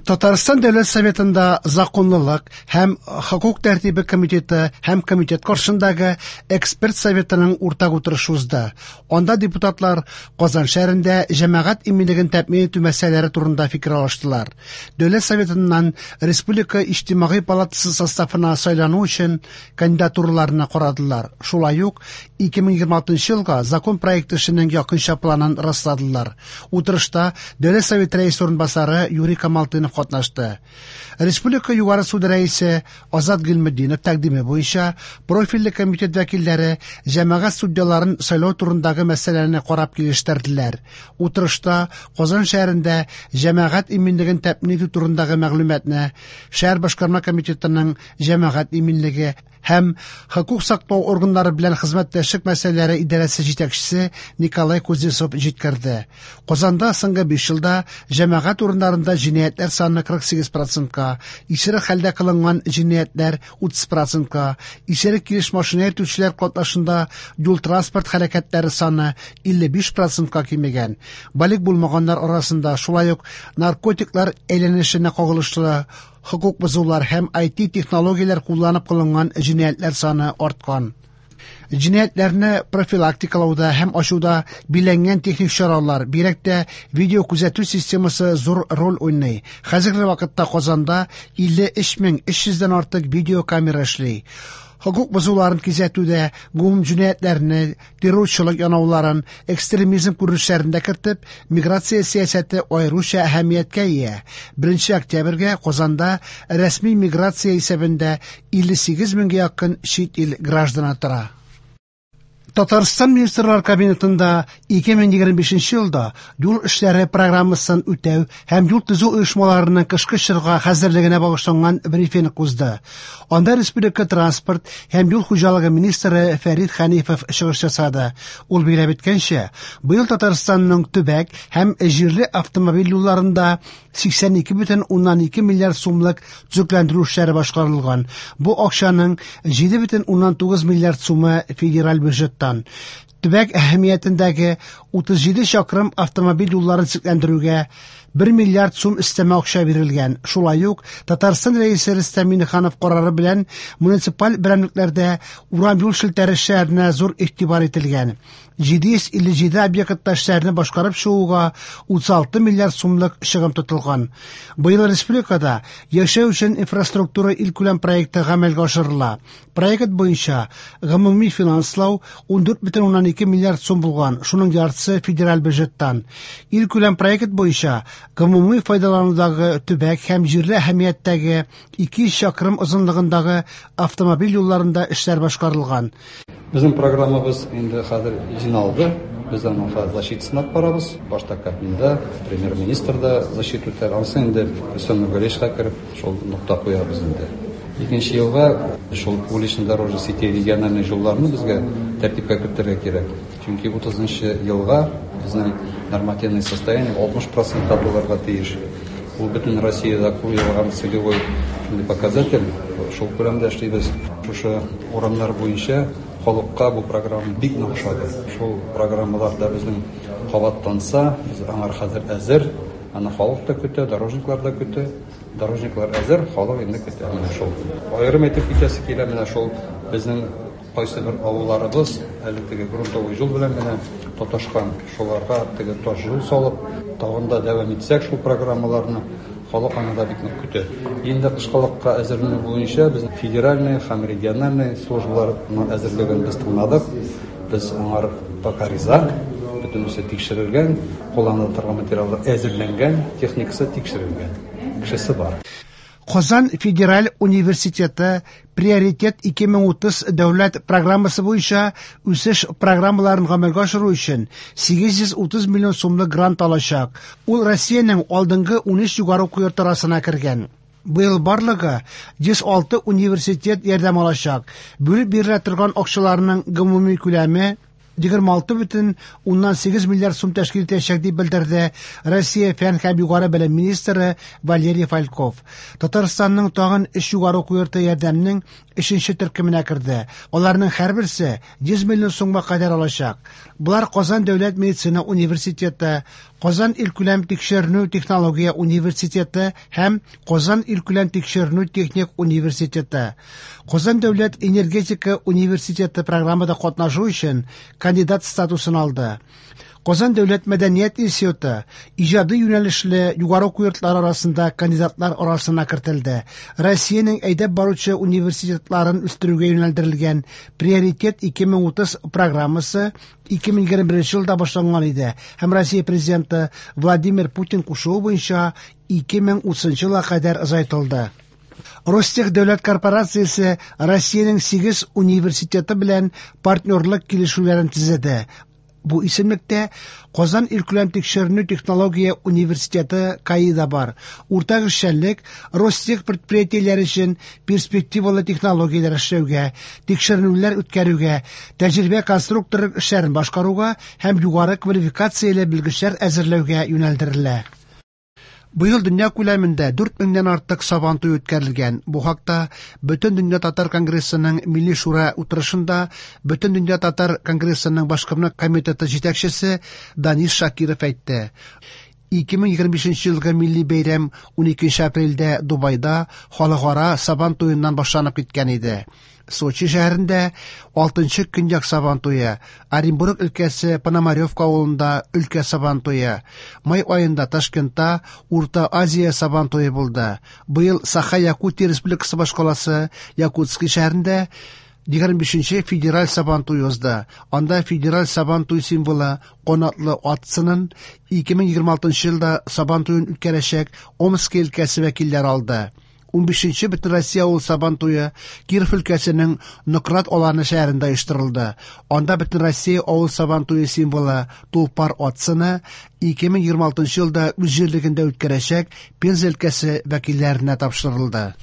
Татарстан Дәүләт Советында законлылык һәм хокук тәртибе комитеты һәм комитет каршындагы эксперт советының уртак утырышы узды. Анда депутатлар Казан шәһәрендә җәмәгать иминлеген тәэмин итү мәсьәләләре турында фикер алыштылар. Дәүләт Советыннан Республика Иҗтимагый палатасы составына сайлану өчен кандидатураларны карадылар. Шулай ук 2026 елга закон проекты эшенең якынча планын расладылар. Утырышта Дәүләт Советы рәисе урынбасары Юрий Камалтынов катнашты. Республика Югары суды рәисе Азат Гыйльметдинов тәкъдиме буенча профильле комитет вәкилләре җәмәгать судьяларын сайлау турындагы мәсьәләне карап килештерделәр. Утырышта Казан шәһәрендә җәмәгать иминлеген тәэмин итү турындагы мәгълүматны шәһәр башкарма комитетының җәмәгать иминлеге һәм хокук саклау органнары белән хезмәттәшлек мәсьәләләре идарәсе җитәкчесе Николай Кузнецов җиткерде. Казанда соңгы 5 елда җәмәгать урыннарында җинаятьләр саны 48%-ка, исерек хәлдә кылынган җинаятьләр 30%-ка, исерек килеш машина йөртүчеләр катнашында юл-транспорт хәрәкәтләре саны 55%-ка кимегән. Балигъ булмаганнар арасында шулай ук наркотиклар әйләнешенә кагылышлы хокук бозулар һәм IT технологияләр кулланып кылынган җинаятьләр саны арткан. Җинаятьләрне профилактикалауда һәм ачуда биләнгән техник чаралар, бигрәк тә видеокүзәтү системасы зур роль уйный. Хәзерге вакытта Казанда 53 300 дән артык видеокамера эшли. Хокук бозуларын кисәтүдә гомум җинаятьләрне, террорчылык янауларын, экстремизм күренешләрен дә кертеп, миграция сәясәте аеруча әһәмияткә ия. 1 октябрьгә Казанда рәсми миграция исәбендә 58 меңгә якын чит ил гражданы тора. Татарстан Министрлар Кабинетында 2025 елда юл эшләре программасын үтәү һәм юл төзү оешмаларының кышкы чорга хәзерлегенә багышланган брифинг узды. Анда республика транспорт һәм юл хуҗалыгы министры Фәрид Хәнифов чыгыш ясады. Ул билгеләп үткәнчә, быел Татарстанның төбәк һәм җирле автомобиль юлларында 82,2 миллиард сумлык төзекләндерү эшләре башкарылган. Бу акчаның 7,9 миллиард сумы федераль бюджеттан. Төбәк әһәмиятендәге 37 чакрым автомобиль юлларын төзекләндерүгә 1 миллиард сум өстәмә акча бирелгән. Шулай ук Татарстан Рәисе Рөстәм Миңнеханов карары белән муниципаль берәмлекләрдә урам юл челтәре эшләренә зур игътибар ителгән. 757 объектта эшләрне башкарып чыгуга 36 миллиард сумлык чыгым тотылган. Быел республикада яшәү өчен инфраструктура илкүләм проекты гамәлгә ашырыла. Проект буенча гомуми финанслау 14,2 миллиард сум булган, шуның яртысы федераль бюджеттан. Илкүләм проект буенча гомуми файдаланудагы төбәк һәм җирле әһәмияттәге 200 чакрым озынлыгындагы автомобиль юлларында эшләр башкарылган. Безнең программабыз инде хәзер җыйналды. Без аның хәзер защитасын алып барабыз. Башта Кабминда, премьер-министр да защита үтәр. Анысы инде Рөстәм Нургалиевичка кереп, шул нокта куябыз инде. Икенче елга шул улично-дорожный сети региональный юлларны безгә тәртипкә кертергә кирәк. Чөнки 30 елга безнең нормативный состояние 60 процентка булырга тиеш. Ул бөтен Россиядә куелган целевой шундый показатель. Шул күләмдә эшлибез. Шушы урамнар буенча халыкка бу программа бик нык ошады. Шул программалар да безнең кабатланса, без аңар хәзер әзер. Аны халык та көтә, дорожниклар да көтә. Дорожниклар әзер, халык инде көтә. Менә шул. Аерым әйтеп китәсе килә, менә шул безнең кайсы бер авылларыбыз әле теге грунтовый юл белән генә тоташкан, шуларга теге таш юл салып, тагын да дәвам итсәк шул программаларны, халык аны да бик нык көтә. Инде кышкылыкка әзерләнү буенча без федеральный һәм региональный службаларның әзерлеген без тыңладык. Без аңар пока риза, бөтенесе тикшерелгән, кулланыла торган материаллар әзерләнгән, техникасы тикшерелгән, кешесе бар. Казан федераль университеты Приоритет 2030 дәүләт программасы буенча үсеш программаларын гамәлгә ашыру өчен 830 миллион сумлык грант алачак. Ул Россиянең алдынгы 13 югары уку йорты арасына кергән. Быел барлыгы 106 университет ярдәм алачак. Бүлеп бирелә торган акчаларның гомуми күләме 26,8 миллиард сум тәшкил итәчәк, дип белдерде Россия фән һәм югары белем министры Валерий Фальков. Татарстанның тагын өч югары уку йорты ярдәмнең өченче төркеменә керде. Аларның һәрберсе 100 миллион сумга кадәр алачак. Болар Казан дәүләт медицина университеты, Казан илкүләм тикшеренү технология университеты һәм Казан илкүләм тикшеренү техник университеты. Казан дәүләт энергетика университеты программада катнашу өчен кандидат статусын алды. Казан дәүләт мәдәният институты иҗади юнәлешле югары уку йортлары арасында кандидатлар арасына кертелде. Россиянең әйдәп баручы университетларын үстерүгә юнәлдерелгән Приоритет 2030 программасы 2021 елда башланган иде һәм Россия Президенты Владимир Путин кушуы буенча 2030 елга кадәр озайтылды. Ростех дәүләт корпорациясе Россиянең 8 университеты белән партнерлык килешүләрен төзеде. Бу исемлектә Казан илкүләм тикшеренү технология университеты КАИ да бар. Уртак эшчәнлек Ростех предприятиеләре өчен перспективалы технологияләр эшләүгә, тикшеренүләр үткәрүгә, тәҗрибә конструкторлык эшләрен башкаруга һәм югары квалификацияле белгечләр әзерләүгә юнәлдерелә. Быел дөнья күләмендә 4 меңнән артык Сабан туе үткәрелгән. Бу хакта Бөтендөнья татар конгрессының Милли шура утырышында Бөтендөнья татар конгрессының башкарма комитеты җитәкчесе Данис Шакиров әйтте. 2025 елгы милли бәйрәм 12 апрельдә Дубайда халыкара Сабан туеннан башланып киткән иде. Сочи шәһәрендә 6нчы көньяк Сабан туе, Оренбург өлкәсе Пономаревка авылында өлкә Сабан туе, май аенда Ташкентта Урта Азия Сабан туе булды. Быел Саха-Якутия Республикасы башкаласы Якутский шәһәрендә 25 федераль Сабан туе узды. Анда федераль Сабан туй символы канатлы ат сынын 2026 елда Сабан туен үткәрәчәк Омски өлкәсе вәкилләре алды. 15нче Бөтенроссия авыл Сабан туе Киров өлкәсенең Нократ Аланы шәһәрендә оештырылды. Анда Бөтенроссия авыл Сабан туе символы Тулпар ат сыны 2026 елда үз җирлегендә үткәрәчәк Пенза өлкәсе вәкилләренә тапшырылды.